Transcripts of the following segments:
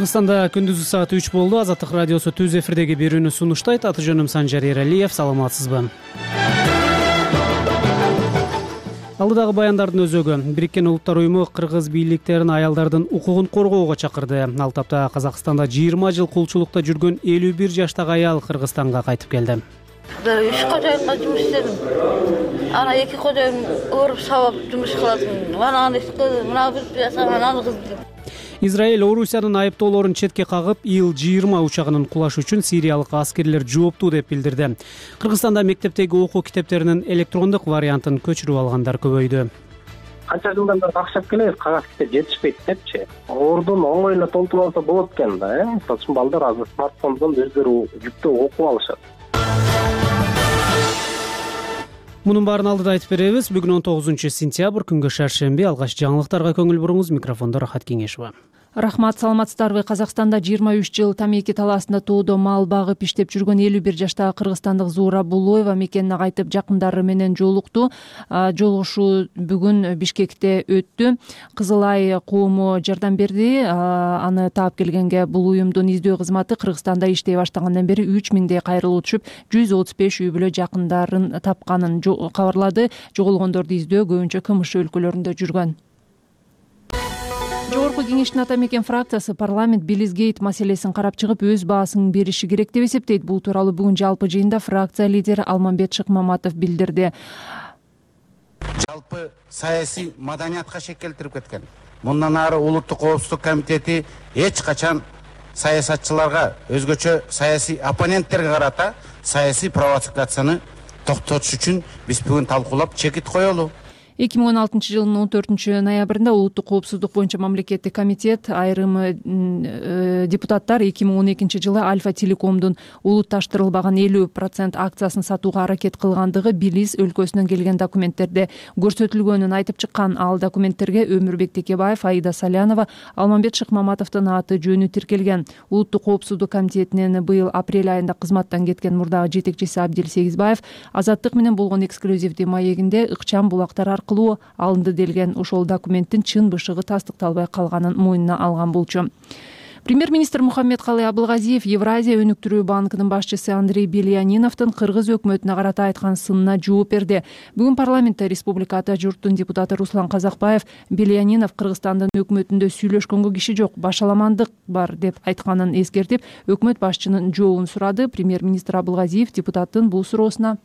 Кыргызстанда күндүзгү саат 3 болду. Азаттык радиосу түз эфирдеги берүүнү сунуштайт. Аты жөнүм Санжар Эралиев. Саламатсызбы? Алдыдагы баяндардын өзөгү. Бириккен Улуттар уюму кыргыз бийликтерин аялдардын укугун коргоого чакырды. Ал тапта Казакстанда 20 жыл кулчулукта жүргөн 51 жаштагы аял Кыргызстанга кайтып келди. 3 кожоюнга жумуш иштедим. Ана 2 кожоюн ооруп сабап жумуш кылатын. Мана мына бир жаса, мына кыз. Израиль Орусиянын айыптоолорун четке кагып, Ил-20 учагынын кулашы үчүн сириялык аскерлер жооптуу деп билдирди. Кыргызстанда мектептеги окуу китептеринин электрондук вариантын көчүрүп алгандар көбөйдү. Канча жылдан бери такшап келебиз, кагаз китеп жетишпейт депчи. Ордун оңой эле толтуруп алса болот экен да, Мисалы үчүн балдар азыр смартфондон өздөрү жүктөп окуп алышат. Мунун баарын алдыда айтып беребиз. Бүгүн 19 сентябрь, күнгө шаршемби. Алгач жаңылыктарга көңүл буруңуз. Микрофондо Рахат Кеңешова. Рахмат, саламатсыздарбы? Казакстанда 23 жыл тамеки талаасында тоодо мал багып иштеп жүргөн 51 жаштагы кыргызстандык Зуура Булоева мекенине кайтып жакындары менен жолукту. Жолугушуу бүгүн Бишкекте өттү. Кызыл Ай коому жардам берди. Аны таап келгенге бул уюмдун издөө кызматы Кыргызстанда иштей баштагандан бери 3000дей кайрылуу түшүп, 135 үй бүлө жакындарын тапканын кабарлады. Жоголгондорду издөө көбүнчө КМШ өлкөлөрүндө жүргөн. Жогорку кеңештин ата мекен фракциясы парламент Билизгейт маселесин карап чыгып, өз баасын бериши керек деп эсептейт. Бул тууралуу бүгүн жалпы жыйында фракция лидери Алмамбет Шыкмаматов билдирди. Жалпы саясий маданиятка шек келтирип кеткен. Мындан ары Улуттук коопсуздук комитети эч качан саясатчыларга, өзгөчө саясий оппоненттерге карата саясий провокацияны токтотуш үчүн биз бүгүн талкуулап чекит коелу. 2016 жылдын 14 ноябрында Улуттук коопсуздук боюнча мамлекеттик комитет айрым депутаттар 2012 жылы Альфа Телекомдун улутташтырылбаган 50% акциясын сатууга аракет кылгандыгы Билис өлкөсүнөн келген документтерде көрсөтүлгөнүн айтып чыккан. Ал документтерге Өмүрбек Текебаев, Аида Салянова, Алмамбет Шыкмаматовдун аты жөнү тиркелген. Улуттук коопсуздук комитетинин быйыл апрель айында кызматтан кеткен мурдагы жетекчиси Абдил Сегизбаев Азаттык менен болгон эксклюзивдүү маегинде ыкчам булактар аркылуу алынды делген. Ошол документтин чын бышыгы тастыкталбай калганын мойнуна алган болчу. Премьер-министр Мухаммедкалый Абылгазиев Евразия өнүктүрүү банкынын башчысы Андрей Бельяниновдун кыргыз өкмөтүнө карата айткан сынына жооп берди. Бүгүн парламентте Республика Ата журттун депутаты Руслан Казакбаев Бельянинов Кыргызстандын өкмөтүндө сүйлөшкөнгө киши жок, башаламандык бар деп айтканын эскертип, өкмөт башчынын жообун сурады. Премьер-министр Абылгазиев депутаттын бул суроосуна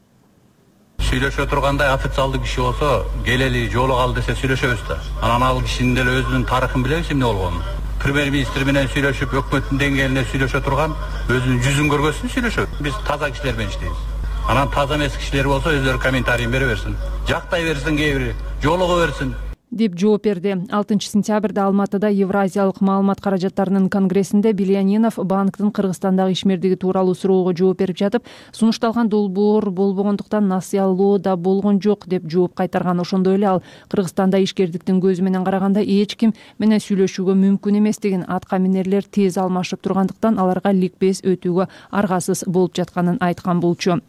сүйлөшө тургандай официалдуу киши болсо, келели жолугалы десе сүйлөшөбүз да. Анан ал кишинин деле өзүнүн тарыхын билебиз эмне болгонун. Премьер-министр менен сүйлөшүп, өкмөттүн деңгээлинде сүйлөшө турган, өзүнүн жүзүн көргөзсүн, сүйлөшөбүз. Биз таза кишилер менен иштейбиз. Анан таза эмес кишилер болсо, өздөрү комментарийин бере берсин. Жактай берсин, кээ бири жолуго берсин деп жооп берди. 6 сентябрда Алматыда Евразиялык маалымат каражаттарынын конгрессинде Бельянинов банктын Кыргызстандагы ишмердиги тууралуу суроого жооп берип жатып, сунушталган долбоор болбогондуктан насыялоо да болгон жок деп жооп кайтарган. Ошондой эле ал Кыргызстанда ишкердиктин көзү менен караганда эч ким менен сүйлөшүүгө мүмкүн эместигин, атка минерлер тез алмашып тургандыктан аларга ликбез өтүүгө аргасыз болуп жатканын айткан болчу.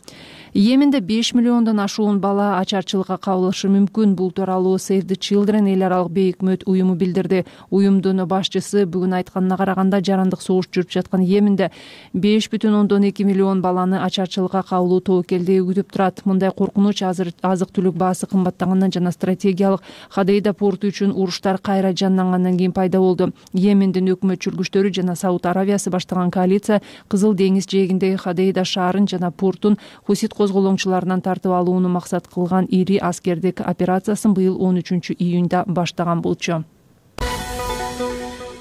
Йеменде 5 миллиондон ашуун бала ачарчылыкка кабылышы мүмкүн. Бул тууралуу Save the Children эл аралык бейөкмөт уюму билдирди. Уюмдун башчысы бүгүн айтканына караганда, жарандык согуш жүрүп жаткан Йеменде 5,2 миллион баланы ачарчылыкка кабылуу тобокелдиги күтүп турат. Мындай коркунуч азык-түлүк баасы кымбаттагандан жана стратегиялык Ходейда порту үчүн уруштар кайра жандангандан кийин пайда болду. Йемендин өкмөт чүлгүчтөрү жана Сауд Аравиясы баштаган коалиция Кызыл деңиз жээгиндеги Ходейда шаарын жана портун хусит козголоңчуларынан тартып алууну максат кылган ири аскердик операциясын быйыл 13 июнда баштаган болчу.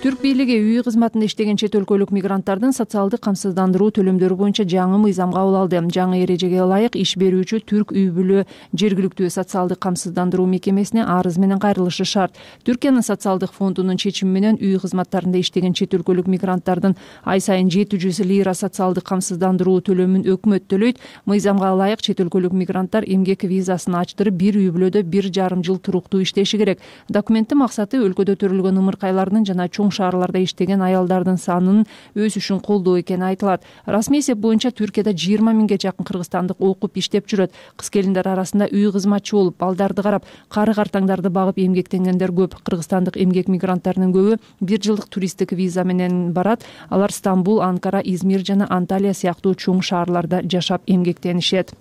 Түрк бийлиги үй кызматында иштеген чет өлкөлүк мигранттардын социалдык камсыздандыруу төлөмдөрү боюнча жаңы мыйзам кабыл алды. Жаңы эрежеге ылайык иш берүүчү түрк үй бүлө жергиликтүү социалдык камсыздандыруу мекемесине арыз менен кайрылышы шарт. Түркиянын социалдык фондунун чечими менен үй кызматтарында иштеген чет өлкөлүк мигранттардын ай сайын 700 лира социалдык камсыздандыруу төлөмүн өкмөт төлөйт. Мыйзамга ылайык чет өлкөлүк мигранттар эмгек визасын ачтырып, бир үй бүлөдө 1,5 жыл туруктуу иштеши керек. Документтин максаты өлкөдө төрөлгөн ымыркайлардын жана чоң чоң шаарларда иштеген аялдардын санынын өсүшүн колдоо экени айтылат. Расмий эсеп боюнча Түркияда 20 миңге жакын кыргызстандык окуп иштеп жүрөт. Кыз келиндер арасында үй кызматчы болуп, балдарды карап, кары картаңдарды багып эмгектенгендер көп. Кыргызстандык эмгек мигранттарынын көбү 1 жылдык туристтик виза менен барат. Алар Стамбул, Анкара, Измир жана Анталия сыяктуу чоң шаарларда жашап эмгектенишет.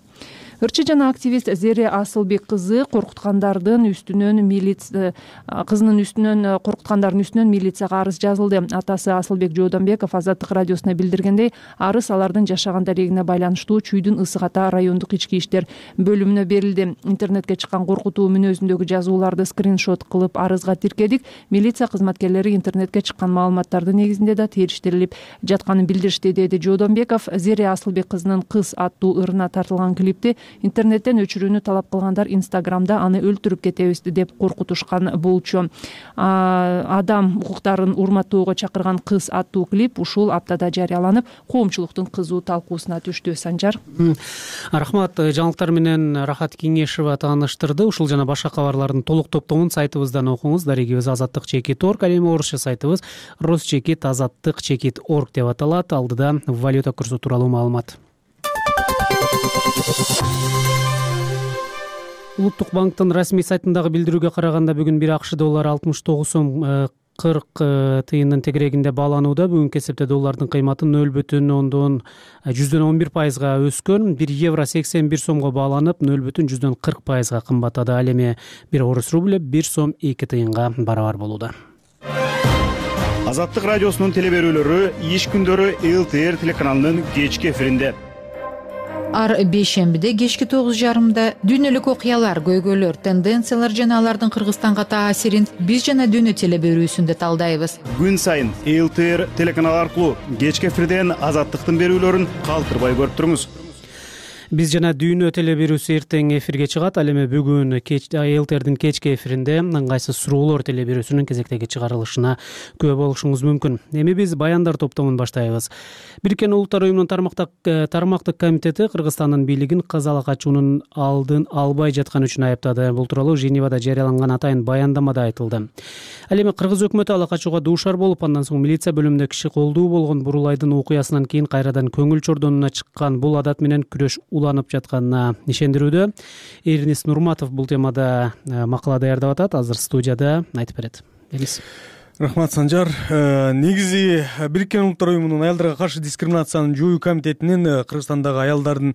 Ырчы жана активист Зере Асылбек кызынын үстүнөн милицияга арыз жазылды. Атасы Асылбек Жоодонбеков Азаттык радиосуна билдиргендей, арыз алардын жашаган дарегине байланыштуу Чүйдүн Ысык Ата райондук ички иштер бөлүмүнө берилди. Интернетке чыккан коркутуу мүнөзүндөгү жазууларды скриншот кылып арызга тиркедик. Милиция кызматкерлери интернетке чыккан маалыматтардын негизинде да териштирилип жатканын билдиришти, деди Жоодонбеков. Зере Асылбек кызынын «Кыз» аттуу ырына тартылган клипти интернеттен өчүрүүнү талап кылгандар Инстаграмда аны өлтүрүп кетебиз деп коркутушкан болчу. Адам укуктарын урматтоого чакырган «Кыз» аттуу клип ушул аптада жарыяланып, коомчулуктун кызуу талкуусуна түштү. Санжар. Рахмат. Жаңылыктар менен Рахат Кеңешева тааныштырды. Ушул жана башка кабарлардын толук топтомун сайтыбыздан окуңуз. Дарегибиз azattik.org, ал эми орусча сайтыбыз rus.azattik.org деп аталат. Алдыда валюта курсу тууралуу маалымат. Улуттук банктын расмий сайтындагы билдирүүгө караганда бүгүн 1 АКШ доллары 69 сом 40 тыйындын тегерегинде бааланууда. Бүгүнкү эсепте доллардын кыйматы 0,11% өскөн. 1 евро 81 сомго бааланып 0,40% кымбаттады. Ал эми 1 орус рубль 1 сом 2 тыйынга барабар болууда. Азаттык радиосунун телеберүүлөрү иш күндөрү ЛТР телеканалынын кечки эфиринде. Ар бейшембиде кечки 9:30 дүйнөлүк окуялар, көйгөйлөр, тенденциялар жана алардын Кыргызстанга таасирин биз жана дүйнө телеберүүсүндө талдайбыз. Күн сайын ЛТР телеканалы аркылуу кечки эфирден Азаттыктын берүүлөрүн калтырбай көрүп туруңуз. Биз жана дүйнө телеберүүсү эртең эфирге чыгат. Ал эми бүгүн ЛТРдин кечки эфиринде ыңгайсыз суроолор телеберүүсүнүн кезектеги чыгарылышына күбө болушуңуз мүмкүн. Эми биз баяндар топтомун баштайбыз. Бириккен Улуттар уюмунун тармактык комитети Кыргызстандын бийлигин кыз ала качуунун алдын албай жатканы үчүн айыптады. Бул тууралуу Женевада жарыяланган атайын баяндамада айтылды. Ал эми кыргыз өкмөтү ала качууга дуушар болуп, андан соң милиция бөлүмүндө киши колдуу болгон Бурулайдын окуясынан кийин кайрадан көңүл чордонуна чыккан бул адат менен күрөш уланып жатканына ишендирүүдө. Эрнис Нурматов бул темада макала даярдап атат. Азыр студияда айтып берет. Рахмат, Санжар. Негизи Бириккен Улуттар уюмунун аялдарга каршы дискриминациянын жоюу комитетинин Кыргызстандагы аялдардын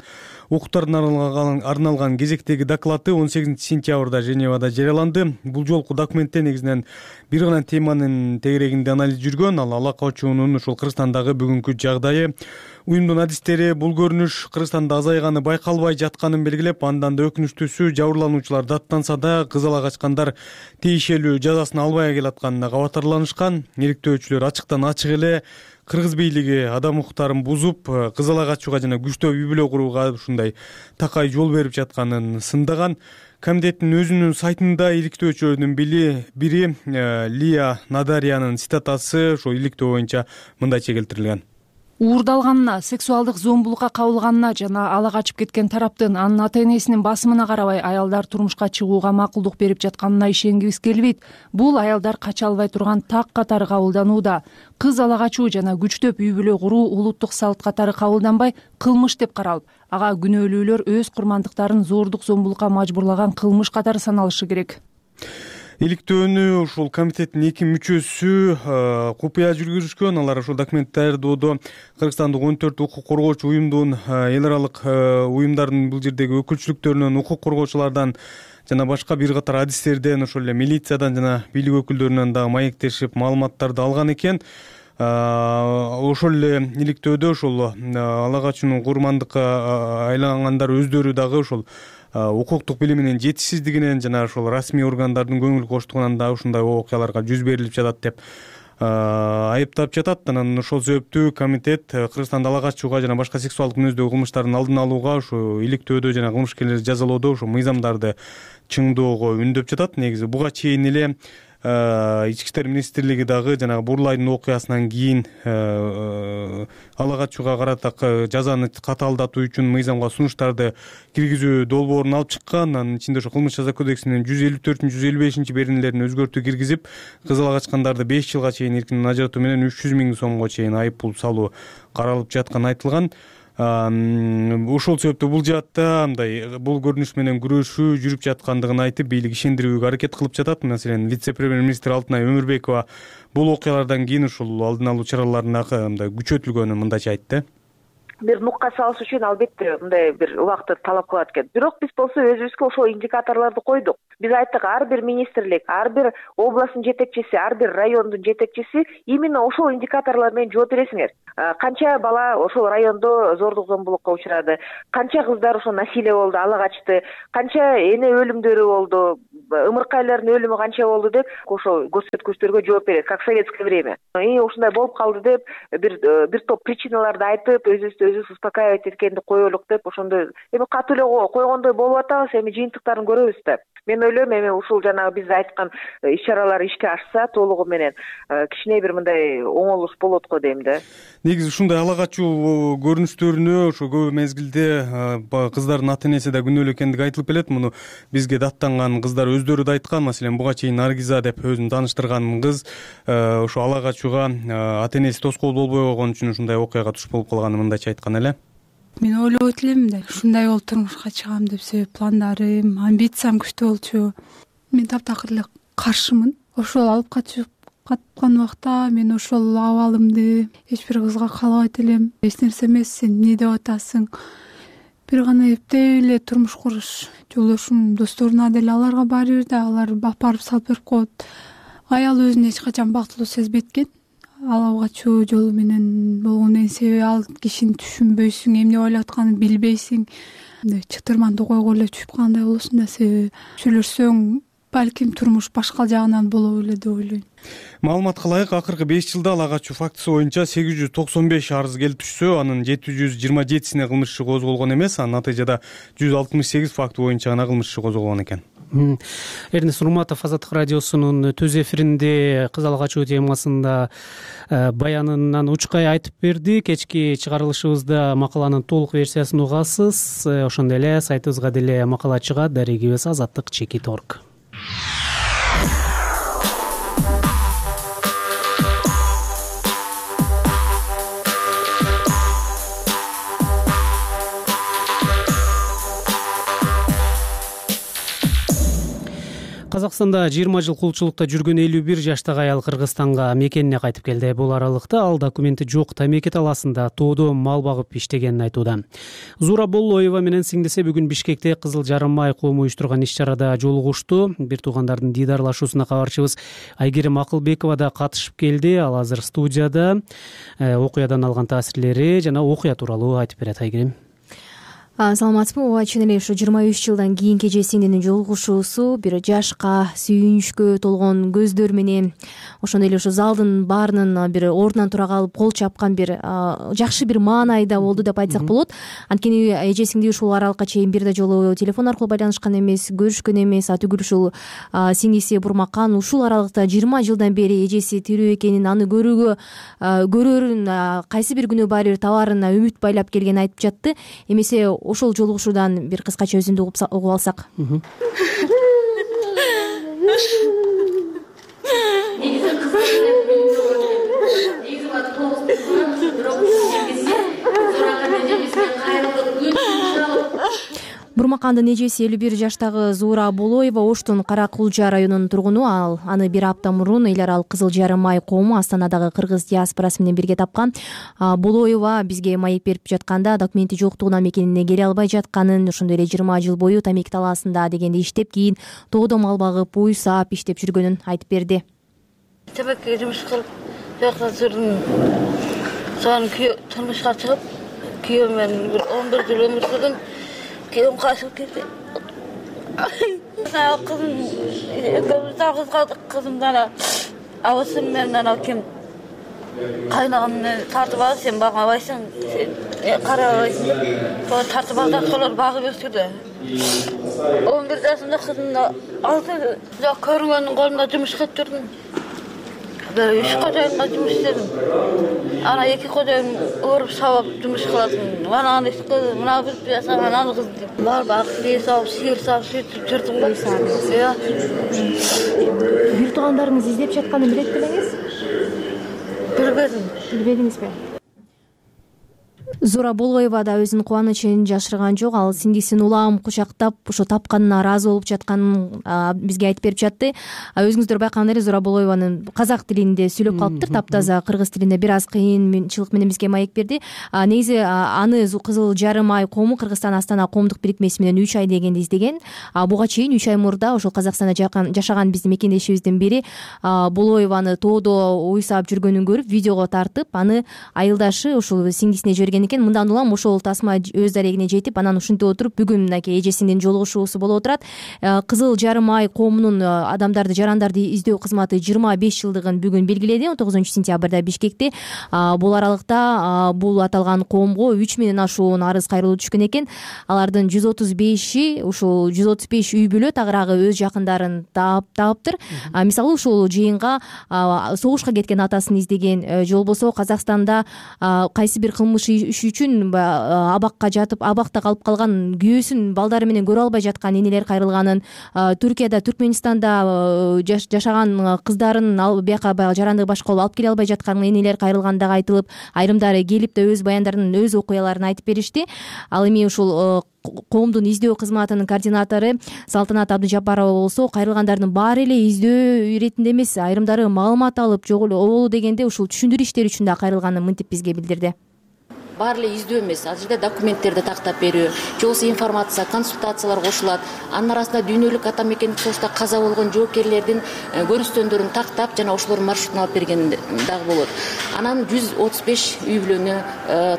укуктарына арналган кезектеги доклады 18 сентябрда Женевада жарыяланды. Бул жолку документте негизинен бир гана теманын тегерегинде анализ жүргөн. Ал ала качуунун ушул Кыргызстандагы бүгүнкү жагдайы, уюмдун адистери бул көрүнүш Кыргызстанда азайганы байкалбай жатканын белгилеп, андан да өкүнүчтүүсү жабырлануучулар даттанса да кыз ала качкандар тийишелүү жазасын албай келатканына кабатарланышкан. Иликтөөчүлөр ачыктан ачык эле кыргыз бийлиги адам укуктарын бузуп, кыз ала качууга жана күчтүү үй бүлө курууга ушундай такай жол берип жатканын сындаган. Комитеттин өзүнүн сайтында иликтөөчүлөрдүн бири Лия Надарянын цитатасы ошо иликтөө боюнча мындайча келтирилген. Уурдалганына, сексуалдык зомбулукка кабылганына жана ала качып кеткен тараптын анын ата-энесинин басымына карабай аялдар турмушка чыгууга макулдук берип жатканына ишенгибиз келбейт. Бул аялдар кача албай турган так катары кабылданууда. Кыз ала качуу жана күчтөп үй бүлө куруу улуттук салт катары кабылданбай, кылмыш деп каралып, ага күнөөлүүлөр өз курмандыктарын зордук зомбулукка мажбурлаган кылмыш катары саналышы керек. Иликтөөнү ушул комитеттин 2 мүчөсү купуя жүргүзүшкөн. Алар ушул документ даярдоодо Кыргызстандык 14 укук коргоочу уюмдун, эл аралык уюмдардын бул жердеги өкүлчүлүктөрүнөн, укук коргоочулардан жана башка бир катар адистерден, ошол эле милициядан жана бийлик өкүлдөрүнөн дагы маектешип маалыматтарды алган экен. Ошол эле иликтөөдө ошол ала качуунун курмандыкка айлангандар өздөрү дагы ошол укуктук билиминин жетишсиздигинен жана ошол расмий органдардын көңүл коштугунан да ушундай окуяларга жүз берилип жатат деп айыптап жатат. Анан ошол себептүү комитет Кыргызстанда ала качууга жана башка сексуалдык мүнөздөгү кылмыштардын алдын алууга, ушу иликтөөдө жана кылмышкерлерди жазалоодо ошо мыйзамдарды чыңдоого үндөп жатат. Негизи буга чейин эле ички иштер министрлиги дагы жанагы Бурлайдын окуясынан кийин ала качууга карата жазаны катаалдатуу үчүн мыйзамга сунуштарды киргизүү долбоорун алып чыккан. Анын ичинде ошо кылмыш жаза кодексинин 154 155 беренелерине өзгөртүү киргизип, кыз ала качкандарды 5 жылга чейин эркинен ажыратуу менен 300 000 сомго чейин айып пул салуу каралып жатканы айтылган. Ошол себептен бул жаатта мындай бул көрүнүш менен күрөшүү жүрүп жаткандыгын айтып, бийлик ишендирүүгө аракет кылып жатат. Маселен, вице-премьер-министр Алтынай Өмүрбекова бул окуялардан кийин ушул алдын алуу чараларына мындай күчөтүлгөнүн мындайча айтты. Бир нукка салыш үчүн албетте мындай бир убакытты талап кылат экен. Бирок биз болсо өзүбүзгө ошол индикаторлорду койдук. Биз айттык, ар бир министрлик, ар бир областтын жетекчиси, ар бир райондун жетекчиси именно ошол индикаторлор менен жооп бересиңер. Канча бала ошол райондо зордук зомбулукка учурады, канча кыздар ошо насилие болду, ала качты, канча эне өлүмдөрү болду, ымыркайлардын өлүмү канча болду деп ошо көрсөткүчтөргө жооп берет, как в советское время. Ушундай болуп калды деп бир топ причиналарды айтып, өзүбүз успокаивать эткенди коелук деп ошондой эми катуу эле койгондой болуп атабыз. Эми жыйынтыктарын көрөбүз да. Мен ойлойм, эми ушул жанагы биз айткан иш-чаралар ишке ашса толугу менен кичине бир мындай оңолуш болот го дейм да. Негизи ушундай ала качуу көрүнүштөрүнө ошо көп мезгилде кыздардын ата-энеси да күнөөлүү экендиги айтылып келет. Муну бизге даттанган кыздар өздөрү да айткан. Маселен, буга чейин Наргиза деп өзүн тааныштырган кыз ошо ала качууга ата-энеси тоскоол болбой койгон үчүн ушундай окуяга туш болуп калганын мындайча айткан эле. Мен ойлобойт элем мындай ушундай болуп турмушка чыгам деп. Себеп пландарым, амбициям күчтүү болчу. Мен таптакыр эле каршымын. Ошол алып каткан убакта мен ошол абалымды эч бир кызга каалабайт элем. Эч нерсе эмес, сен эмне деп атасың? Бир гана эптеп эле турмуш куруш. Жолдошум, досторуна деле аларга баары бир да, алар барып салып берип коет. Аял өзүн эч качан бактылуу сезбейт экен. Ала качуу жолу менен болгондун себеби ал кишини түшүнбөйсүң, эмне ойлоп атканын билбейсиң. Чытырман токойго эле түшүп калгандай болосуң да, себеби сүйлөшсөң балким турмуш башка жагынан боло белет деп ойлойм. Маалыматка ылайык, акыркы 5 жылда ала качуу фактысы боюнча 895 арыз келип түшсө, анын 727сине кылмыш иши козголгон эмес, анын натыйжада 168 факты боюнча гана кылмыш иши козголгон экен. Эрнест Урматов Азаттык радиосунун төз эфиринде кыз ала качуу темасында баянынан учкай айтып берди. Кечки чыгарылышыбызда макаланын толук версиясын угасыз. Ошондой эле сайтыбызга деле макала чыгат. Дарегибиз azаттык.org. Казакстанда 20 жыл кулчулукта жүргөн 51 жаштагы аял Кыргызстанга мекенине кайтып келди. Бул аралыкта ал документи жок Тамеки талаасында тоодо мал багып иштегенин айтууда. Зура Боллоева менен сиңдиси бүгүн Бишкекте Кызыл Жарым ай коому уюштурган иш-чарада жолугушту. Бир туугандардын дидарлашуусуна кабарчыбыз Айгерим Акылбекова да катышып келди. Ал азыр студияда окуядан алган таасирлери жана окуя тууралуу айтып берет. Айгерим. Саламатсызбы? Ооба, чын эле ушу 23 жылдан кийинки эже сиңдинин жолугушуусу бир жашка, сүйүнүчкө толгон көздөр менен ошондой эле ушу залдын баарынын бир ордунан тура калып кол чапкан бир жакшы бир маанайда болду деп айтсак болот. Анткени эже сиңди ушул аралыкка чейин бир да жолу телефон аркылуу байланышкан эмес, көрүшкөн эмес. Түгүл ушул сиңдиси Бурмакан ушул аралыкта 20 жылдан бери эжеси тирүү экенин, аны көрөрүн, кайсы бир күнү баары бир табаарына үмүт байлап келгенин айтып жатты. Эмесе ошол жолугушуудан бир кыскача өзүндү угуп алсак. Бурмакандын эжеси 51 жаштагы Зура Болоева Оштун Кара Кулжа районунун тургуну. Аны бир апта мурун эл аралык Кызыл Жарым ай коому Астанадагы кыргыз диаспорасы менен бирге тапкан. Болоева бизге маек берип жатканда документи жоктугунан мекенине келе албай жатканын, ошондой эле 20 жыл бою Тамеки талаасында дегенде иштеп, кийин тоодо мал багып, уй саап иштеп жүргөнүн айтып берди. Тамекиге жумуш кылып, жакта жүрдүм. Сонун турмушка чыгып, күйөөм менен 11 жыл өмүр сүрдүм. Күйөөм качып кетти. Кызым, жалгыз калдык. Кызымдан абысым менен ким кайнагамды тартып алып, сен багабайсың, карабайсың. Сол тартып алып, солар багып өстүрдү. 11 жашында кызымды алты жок көрүнгөндүн колунда жумуш кылып жүрдүм. 3 кожоюнга жумуш иштедим. Ана 2 кожоюн уруп сабап жумуш кылатын. Мана аны кыз, мына бир пияса, мына кыз деп. Бар бакты сабап, сыйыр сабап сөйтүп жүрдүм го. Бир туугандарыңыз издеп жатканын билет белеңиз? Билбедиңизби? Зора Болоева да өзүнүн кубанычын жашырган жок. Ал сиңдисин улам кучактап, ошо тапканына ыраазы болуп жатканын бизге айтып берип жатты. Өзүңүздөр байкаган эле Зора Болоеванын казак тилинде сүйлөп калыптыр, таптаза кыргыз тилинде бир аз кыйынчылык менен бизге маек берди. Негизи аны Кызыл Жарым ай коому Кыргызстан Астана коомдук бирикмеси менен 3 ай дегенди издеген. Буга чейин 3 ай мурда ошол Казакстанда жашаган биздин мекендешибиздин бири Болоеваны тоодо уйсап жүргөнүн көрүп, видеого тартып, аны айылдашы ушул сиңдисине жиберген экен. Мындан улам ошол тасма өз дарегине жетип, анан ушинтип отуруп бүгүн мынакей эжесинин жолугушуусу болуп отурат. Кызыл Жарым ай коомунун адамдарды, жарандарды издөө кызматы 25 жылдыгын бүгүн белгиледи. 19-сентябрда Бишкекте бул аралыкта бул аталган коомго 3000 ашуун арыз кайрылуу түшкөн экен. Алардын 135 ушул 135 үй бүлө тагыраагы өз жакындарын таапtыр. Мисалы ушул жыйынга согушка кеткен атасын издеген, же болбосо Казакстанда кайсы бир кылмыш үчүн абакка жатып, абакта калып калган күйөөсүн балдары менен көрө албай жаткан энелер кайрылганын, Түркияда, Түркмөнстанда жашаган кыздарын бияка жарандыгы башка болуп алып келе албай жаткан энелер кайрылгандыгы айтылып, айрымдары келип да өз баяндарын, өз окуяларын айтып беришти. Ал эми ушул коомдун издөө кызматынын координатору Салтанат Абдыжапарова болсо, кайрылгандардын баары эле издөө иретинде эмес, айрымдары маалымат алып, жок эле оболу дегенде ушул түшүндүрүү иштери үчүн да кайрылганын мынтип бизге билдирди. Баары эле издөө эмес, ал жерде документтерди тактап берүү, же болбосо информация, консультациялар кошулат. Анын арасында дүйнөлүк ата мекендик согушта каза болгон жоокерлердин көрүнүштөрүн тактап, жана ошолордун маршрутун алып берген дагы болот. Анан 135 үй бүлөнү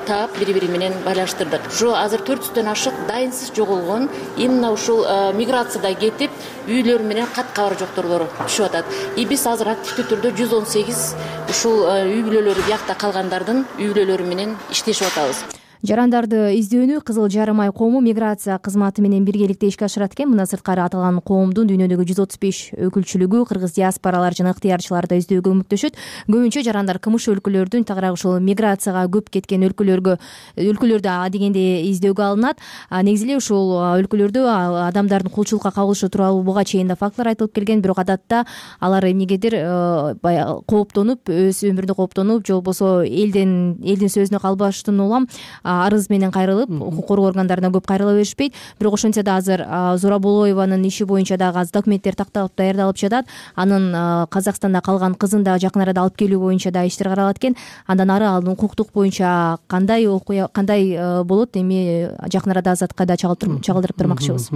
таап, бири-бири менен байланыштырдык. Ушу азыр 400дөн ашык дайынсыз жоголгон, именно ушул миграцияда кетип, үйлөрү менен кат кабары жокторлор түшүп атат. Биз азыр активдүү түрдө 118 ушул үй бүлөлөрү биякта калгандардын үй бүлөлөрү менен иштешип атабыз. Жарандарды издөөнү Кызыл Жарым ай коому миграция кызматы менен биргеликте ишке ашырат экен. Мына сырткары аталган коомдун дүйнөдөгү 135 өкүлчүлүгү кыргыз диаспоралар жана ыктыярчыларды издөөгө көмөктөшөт. Көбүнчө жарандар кымыш өлкөлөрдүн, тагыраак ушул миграцияга көп кеткен өлкөлөрдө адегенде издөөгө алынат. Негизи эле ушул өлкөлөрдө адамдардын кулчулукка кабылышы тууралуу буга чейин да фактылар айтылып келген, бирок адатта алар эмнегедир кооптонуп, өз өмүрүндө кооптонуп, же болбосо элдин сөзүнө калбаштан улам арыз менен кайрылып, укук коргоо органдарына көп кайрыла беришпейт. Бирок ошентсе да азыр Зора Болоеванын иши боюнча дагы аз документтер такталып даярдалып жатат. Анын Казакстанда калган кызын да жакын арада алып келүү боюнча да иштер каралат экен. Андан ары анын укуктук боюнча кандай болот, эми жакын арада азатка да чагылдырып турмакчыбыз.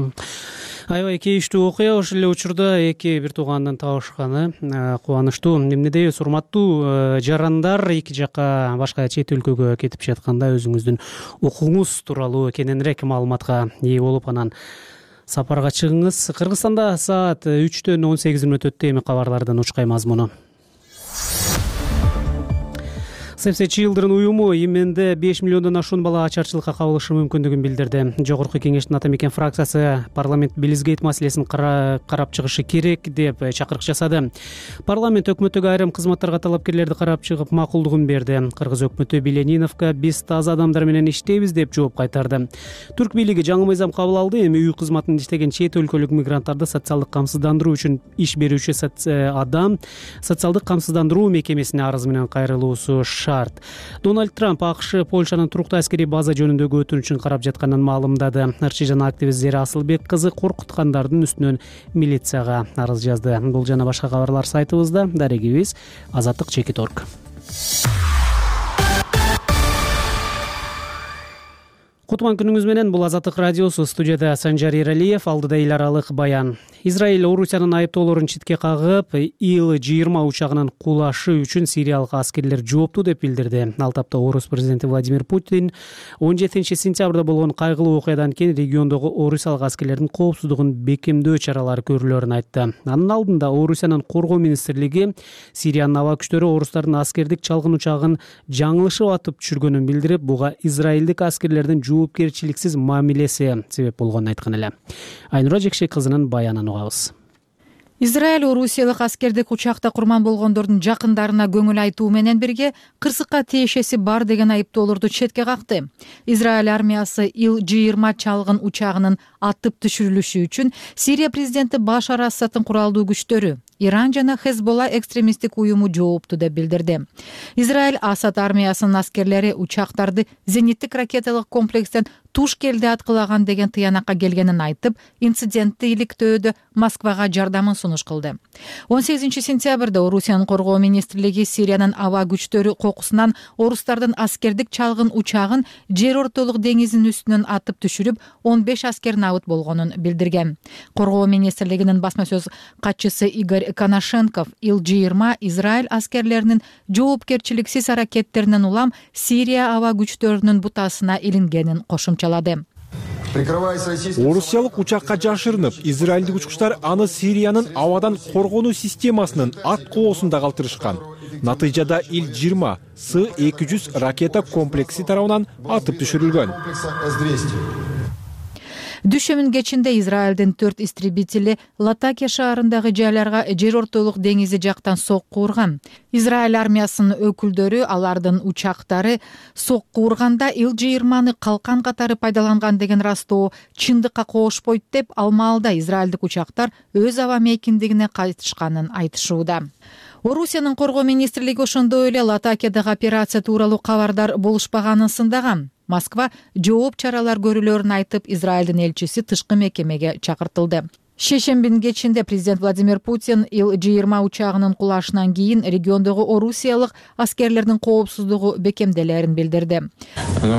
Аябай кейиштүү окуя. Ошол эле учурда эки бир туугандын табышканы кубанычтуу. Эмне дейбиз, урматтуу жарандар, эки жака башка чет өлкөгө кетип жатканда өзүңүздүн укугуңуз тууралуу кененирээк маалыматка ээ болуп, анан сапарга чыгыңыз. Кыргызстанда саат 3-төн 18 мүнөт өттү. Эми кабарлардын учкай мазмуну. Сепсе Children уюму Именде 5 миллиондон ашуун бала ачарчылыкка кабылышы мүмкүндүгүн билдирди. Жогорку кеңештин ата мекен фракциясы парламент Билизгейт маселесин карап чыгышы керек деп чакырык жасады. Парламент өкмөттөгү айрым кызматтарга талапкерлерди карап чыгып макулдугун берди. Кыргыз өкмөтү Билениновго биз таза адамдар менен иштейбиз деп жооп кайтарды. Түрк бийлиги жаңы мыйзам кабыл алды. Эми үй кызматында иштеген чет өлкөлүк мигранттарды социалдык камсыздандыруу үчүн иш берүүчү адам социалдык камсыздандыруу мекемесине арыз менен кайрылуусу шарт. Дональд Трамп АКШ Польшанын туруктуу аскерий база жөнүндөгү өтүнүчүн карап жатканын маалымдады. Ырчы жана активист Зера Асылбек кызы коркуткандардын үстүнөн милицияга арыз жазды. Бул жана башка кабарлар сайтыбызда. Дарегибиз azatlyk.org. Кутман күнүңүз менен. Бул Азаттык радиосу. Студияда Санжар Эралиев, алдыда эл аралык баян. Израиль Орусиянын айыптоолорун четке кагып, Ил-20 учагынын кулашы үчүн сириялык аскерлер жоопту деп билдирди. Ал тапта Орус президенти Владимир Путин 17 сентябрда болгон кайгылуу окуядан кийин региондогу орусиялык аскерлердин коопсуздугун бекемдөө чаралары көрүлөрүн айтты. Анын алдында Орусиянын коргоо министрлиги Сириянын аба күчтөрү орустардын аскердик чалгын учагын жаңылышып атып түшүргөнүн билдирип, буга израилдик аскерлердин жоопкерчиликсиз мамилеси себеп болгонун айткан эле. Айнура Жекшек кызынын баянын угабыз. Израиль орусиялык аскердик учакта курман болгондордун жакындарына көңүл айтуу менен бирге кырсыкка тиешеси бар деген айыптоолорду четке какты. Израиль армиясы Ил-20 чалгын учагынын атып түшүрүлүшү үчүн Сирия президенти Башар Асадтын куралдуу күчтөрү, Иран жана Хезболла экстремисттик уюму жоопту деп билдирди. Израиль Асад армиясынын аскерлери учактарды зениттик ракеталык комплекстен туш келди аткылаган деген тыянакка келгенин айтып, инцидентти иликтөөдө Москвага жардамын сунуш кылды. 18 сентябрда Орусиянын коргоо министрлиги Сириянын аба күчтөрү кокусунан орустардын аскердик чалгын учагын жер ортолук деңиздин үстүнөн атып түшүрүп, 15 аскер набыт болгонун билдирген. Коргоо министрлигинин басма сөз катчысы Игорь Коношенков Ил-20 Израиль аскерлеринин жоопкерчиликсиз аракеттеринен улам Сирия аба күчтөрүнүн бутасына илингенин кошумчалады. Орусиялык учакка жашырынып, израилдик учкучтар аны Сириянын абадан коргонуу системасынын ат коосунда калтырышкан. Натыйжада Ил-20 С-200 ракета комплекси тарабынан атып түшүрүлгөн. Дүшөмүн кечинде Израилдин 4 истребители Латакия шаарындагы жайларга жер ортолук деңизи жактан сокку урган. Израиль армиясынын өкүлдөрү алардын учактары сокку урганда Ил-20 калкан катары пайдаланган деген растоо чындыкка коошпойт деп, ал маалда израилдик учактар өз аба мейкиндигине кайтышканын айтышууда. Орусиянын коргоо министрлиги ошондой эле Латакиядагы операция тууралуу кабардар болушпаганын сындаган. Москва жооп чаралар көрүлөрүн айтып, Израилдин элчиси тышкы мекемеге чакыртылды. Шейшембинин кечинде президент Владимир Путин Ил-20 учагынын кулашынан кийин региондогу орусиялык аскерлердин коопсуздугу бекемделерин билдирди.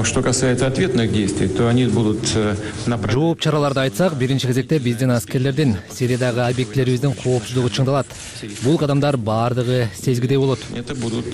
Что касается ответных действий, то они будут жооп чараларды айтсак, биринчи кезекте биздин аскерлердин Сириядагы объектлерибиздин коопсуздугу чыңдалат. Бул кадамдар баардыгы сезгидей болот. Это будут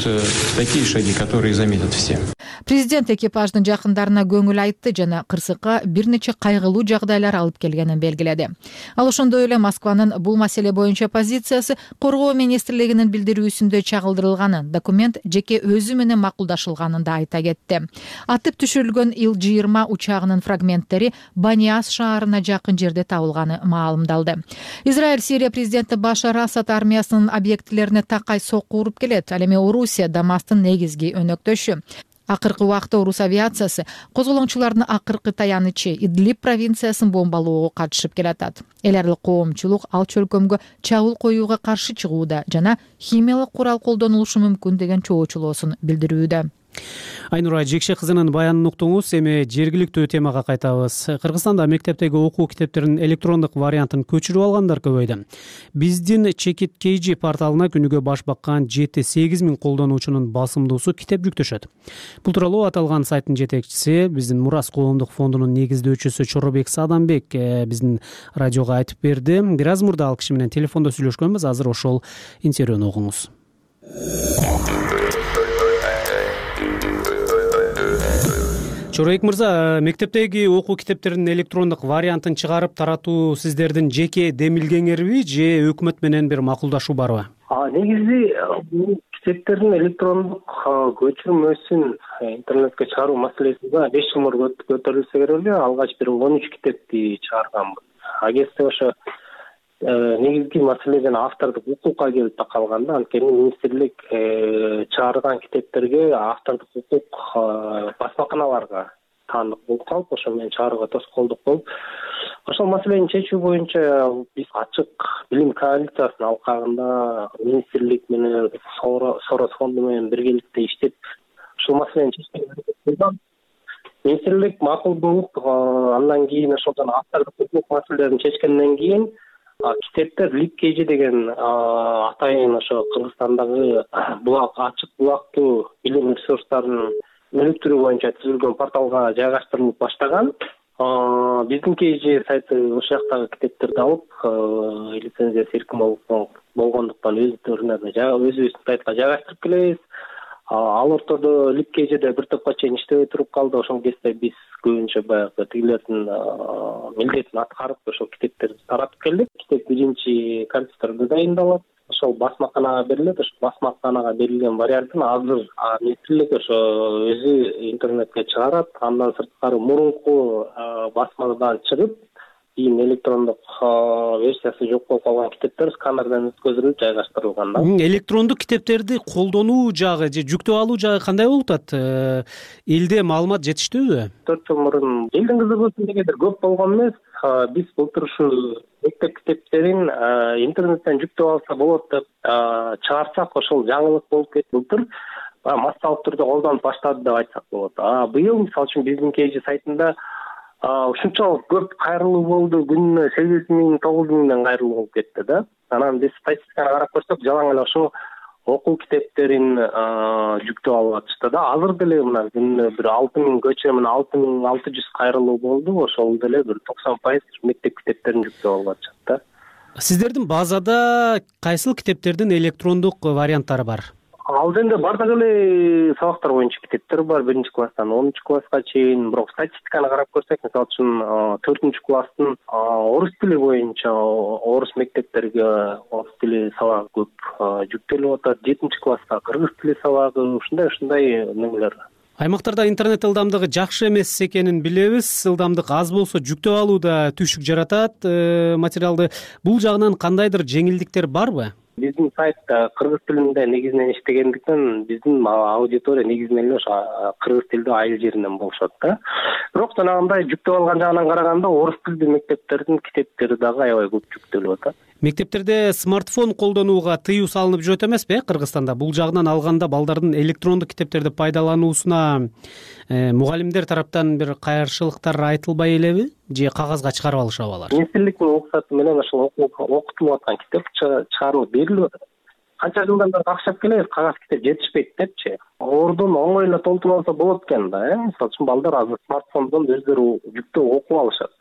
такие шаги, которые заметят все. Президент экипаждын жакындарына көңүл айтты жана кырсыкка бир нече кайгылуу жагдайлар алып келгенин белгиледи. Ал ошондой эле Москванын бул маселе боюнча позициясы коргоо министрлигинин билдирүүсүндө чагылдырылганын, документ жеке өзү менен макулдашылганын да айта кетти. Атып түшүрүлгөн Ил-20 учагынын фрагменттери Баниас шаарына жакын жерде табылганы маалымдалды. Израиль Сирия президенти Башар Асад армиясынын объектилерине такай сокку уруп келет. Ал эми Орусия Дамастын негизги өнөктөшү. Акыркы убакта орус авиациясы козголоңчулардын акыркы таянычы Идлиб провинциясын бомбалоого катышып келатат. Эл аралык коомчулук ал чөлкөмгө чабуул коюуга каршы чыгууда жана химиялык курал колдонулушу мүмкүн деген чоочулоосун билдирүүдө. Айнура Жекшек кызынын баянын уктуңуз. Эми жергиликтүү темага кайтабыз. Кыргызстанда мектептеги окуу китептеринин электрондук вариантын көчүрүп алгандар көбөйдү. Биздин Чекит KG порталына күнүгө баш баккан 7-8 миң колдонуучунун басымдуусу китеп жүктөшөт. Бул тууралуу аталган сайттын жетекчиси, биздин Мурас коомдук фондунун негиздөөчүсү Чоробек Садамбек биздин радиого айтып берди. Бир аз мурда ал киши менен телефондо сүйлөшкөнбүз. Азыр ошол интервьюну угуңуз. Чоробек мырза, мектептеги окуу китептеринин электрондук вариантын чыгарып таратуу сиздердин жеке демилгеңерби же өкмөт менен бир макулдашуу барбы? Негизи бул китептердин электрондук көчүрмөсүн интернетке чыгаруу маселесинде 5 жыл мурун көтөрүлсө керек эле. Алгач бир 13 китепти чыгарганбыз. Агентство ошо негизги маселеден автордук укукка келип такалганда, анткени министрлик чыгарган китептерге автордук укук басмаканаларга таандык болуп калып, ошо менен чыгарууга тоскоолдук болуп, ошол маселени чечүү боюнча биз ачык билим коалициясынын алкагында министрлик менен Сорос фонду менен биргеликте иштеп, ушул маселени чечүүгө аракет кылган. Министрлик макул болуп, андан кийин ошолдон автордук укук маселелерин чечкенден кийин китептер LibKG деген атайын ошо Кыргызстандагы булак, ачык булактуу билим ресурстарынын өнүктүрүү боюнча түзүлгөн порталга жайгаштырылып баштаган. Биздин KG сайты ошол жактагы китептерди алып, лицензиясы эркин болгондуктан өздөрүнө өзүбүздүн сайтка жайгаштырып келебиз. Ал ортодо LibKG'де бир топко чейин иштебей туруп калды. Ошол кезде биз көбүнчө баягы тигилердин милдетин аткарып ошол китептерди таратып келдик. Китеп биринчи качествода дайындалат. Ошол басмаканага берилет. Ошол басмаканага берилген вариантын азыр министрлик ошо өзү интернетке чыгарат. Андан сырткары мурунку басмадан чыгып, кийин электрондук версиясы жок болуп калган китептер сканерден өткөзүлүп жайгаштырылган да. Электрондук китептерди колдонуу жагы же жүктөп алуу жагы кандай болуп атат? Элде маалымат жетиштүүбү? 4 жыл мурун элдин кызыгуусу дегендер көп болгон эмес. Биз былтыр ушу мектеп китептерин интернеттен жүктөп алса болот деп чыгарсак, ошол жаңылык болуп кетти. Былтыр массалык түрдө колдонуп баштады деп айтсак болот. Быйыл мисалы үчүн биздин KG сайтында ушунчалык көп кайрылуу болду. Күнүнө 8.000, 9.000 кайрылуу болуп кетти да. Анан биз статистиканы карап көрсөк, жалаң эле ошо окуу китептерин жүктөп алып атышты да. Азыр деле мына күнүнө бир 6.000 көчө менен 6.600 кайрылуу болду. Ошол деле бир 90% мектеп китептерин жүктөп алып атышат да. Сиздердин базада кайсыл китептердин электрондук варианттары бар? Ал жерде бардык эле сабактар боюнча китептер бар, 1-класстан 10-класска чейин. Бирок статистиканы карап көрсөк, мисалы үчүн 4-класстын орус тили боюнча орус мектептерге орус тили сабагы көп жүктөлүп атат. 7-класска кыргыз тили сабагы, ушундай немелер. Аймактарда интернет ылдамдыгы жакшы эмес экенин билебиз. Ылдамдык аз болсо жүктөп алууда түшүк жаратат материалды. Бул жагынан кандайдыр жеңилдиктер барбы? Биздин сайт кыргыз тилинде негизинен иштегендиктен биздин аудитория негизинен эле ошо кыргыз тилдүү айыл жеринен болушат да. Бирок жанагындай жүктөп алган жагынан караганда орус тилдүү мектептердин китептери дагы аябай көп жүктөлүп атат. Мектептерде смартфон колдонууга тыюу салынып жүрөт эмеспи Кыргызстанда? Бул жагынан алганда балдардын электрондук китептерди пайдалануусуна мугалимдер тараптан бир кайрышылыктар айтылбай элеби? Же кагазга чыгарып алышабы алар? Министрликтин уруксаты менен ошол окутулуп аткан китеп чыгарылып берилип атат. Канча жылдан бери какшап келебиз, кагаз китеп жетишпейт депчи. Ордун оңой эле толтуруп алса болот экен да. Мисалы үчүн балдар азыр смартфондон өздөрү жүктөп окуп алышат.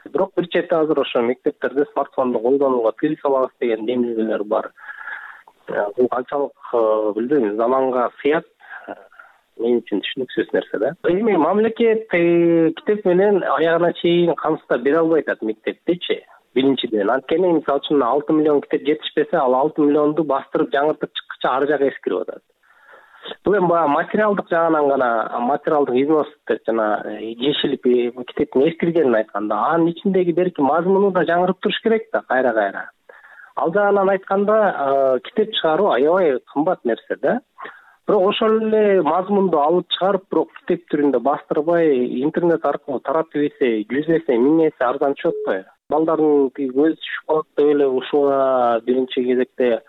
Бирок бир четте азыр ошо мектептерде смартфонду колдонууга тыюу салабыз деген демилгелер бар. Бул канчалык билбейм, заманга сыят. Мен үчүн түшүнүксүз нерсе да. Эми мамлекет китеп менен аягына чейин камсыздап бере албай атат мектептичи. Биринчиден, анткени мисалы үчүн 6 миллион китеп жетишпесе, ал 6 миллионду бастырып жаңыртып чыккыча ар жагы эскирип атат. Бул эми баягы материалдык жагынан гана, материалдык износ деп жана жешилип китептин эскиргенин айтканда, анын ичиндеги берки мазмуну да жаңырып туруш керек да, кайра. Ал жагынан айтканда, китеп чыгаруу аябай кымбат нерсе да. Бирок ошол эле мазмунду алып чыгарып, бирок китеп түрүндө бастырбай интернет аркылуу таратып ийсе, 100 эсе, 1000 эсе арзан түшөт го. Балдардын көзү түшүп калат деп эле ушуга биринчи кезекте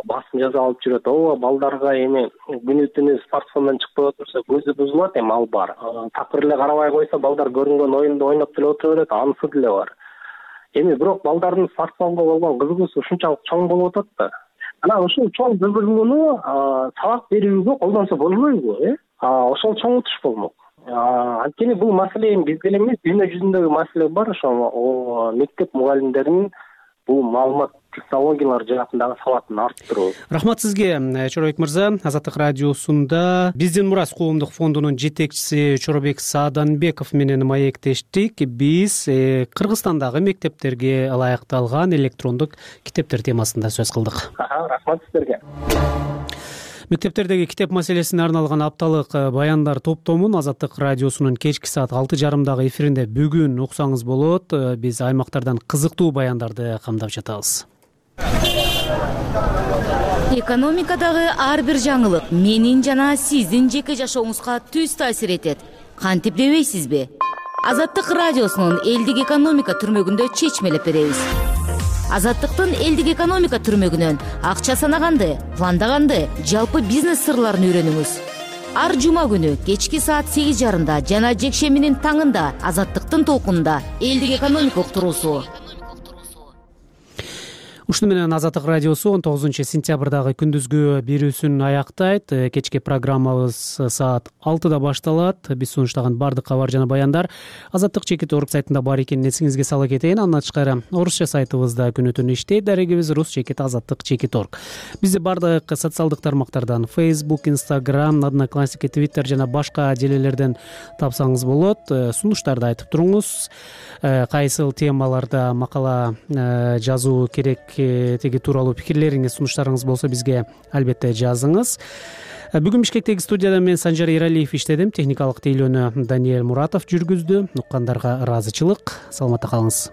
басым жаза алып жүрөт. Ооба, балдарга эми күнү-түнү смартфондон чыкпай отурса көзү бузулат, эми ал бар. Такыр эле карабай койсо балдар көрүнгөн оюнду ойноп деле отура берет, анысы деле бар. Эми бирок балдардын смартфонго болгон кызыгуусу ушунчалык чоң болуп атат да. Анан ушул чоң кызыгууну сабак берүүгө колдонсо болбойбу, ошол чоңутуш болмок. Анткени бул маселе бизде эле эмес, дүйнө жүзүндөгү маселе бар. Ошо мектеп мугалимдеринин бул маалымат технологиялар жаатындагы сабатын арттыруу. Рахмат сизге, Чоробек мырза. Азаттык радиосунда Биздин мурас коомдук фондунун жетекчиси Чоробек Сааданбеков менен маектештик. Биз Кыргызстандагы мектептерге ылайыкталган электрондук китептер темасында сөз кылдык. Рахмат сиздерге. Мектептердеги китеп маселесине арналган апталык баяндар топтомун Азаттык радиосунун кечки саат 6:30 эфиринде бүгүн уксаңыз болот. Биз аймактардан кызыктуу баяндарды камдап жатабыз. Экономикадагы ар бир жаңылык менин жана сиздин жеке жашооңузга түз таасир этет. Кантип дебейсизби? Азаттык радиосунун элдик экономика түрмөгүндө чечмелеп беребиз. Азаттыктын элдик экономика түрмөгүнөн акча санаганды, пландаганды, жалпы бизнес сырларын үйрөнүңүз. Ар жума күнү кечки саат 8:30 жана жекшембинин таңында Азаттыктын толкунунда элдик экономика уктуруусу. Ушуну менен Азаттык радиосу 19 сентябрдагы күндүзгү берүүсүн аяктайт. Кечки программабыз саат 6да башталат. Биз сунуштаган бардык кабар жана баяндар Азаттык /org сайтында бар экенин эсиңизге сала кетейин. Андан тышкары орусча сайтыбызда күнү түнү иштейт. Дарегибиз rus/azаттык/org. Бизди бардык социалдык тармактардан Facebook, Instagram, Одноклассники, Twitter жана башка желелерден тапсаңыз болот. Сунуштарды айтып туруңуз. Кайсыл темаларда макала жазуу керек теги тууралуу пикирлериңиз, сунуштарыңыз болсо бизге албетте жазыңыз. Бүгүн Бишкектеги студияда мен Санжар Эралиев иштедим. Техникалык тейлөөнү Даниэль Муратов жүргүздү. Уккандарга ыраазычылык. Саламатта калыңыз.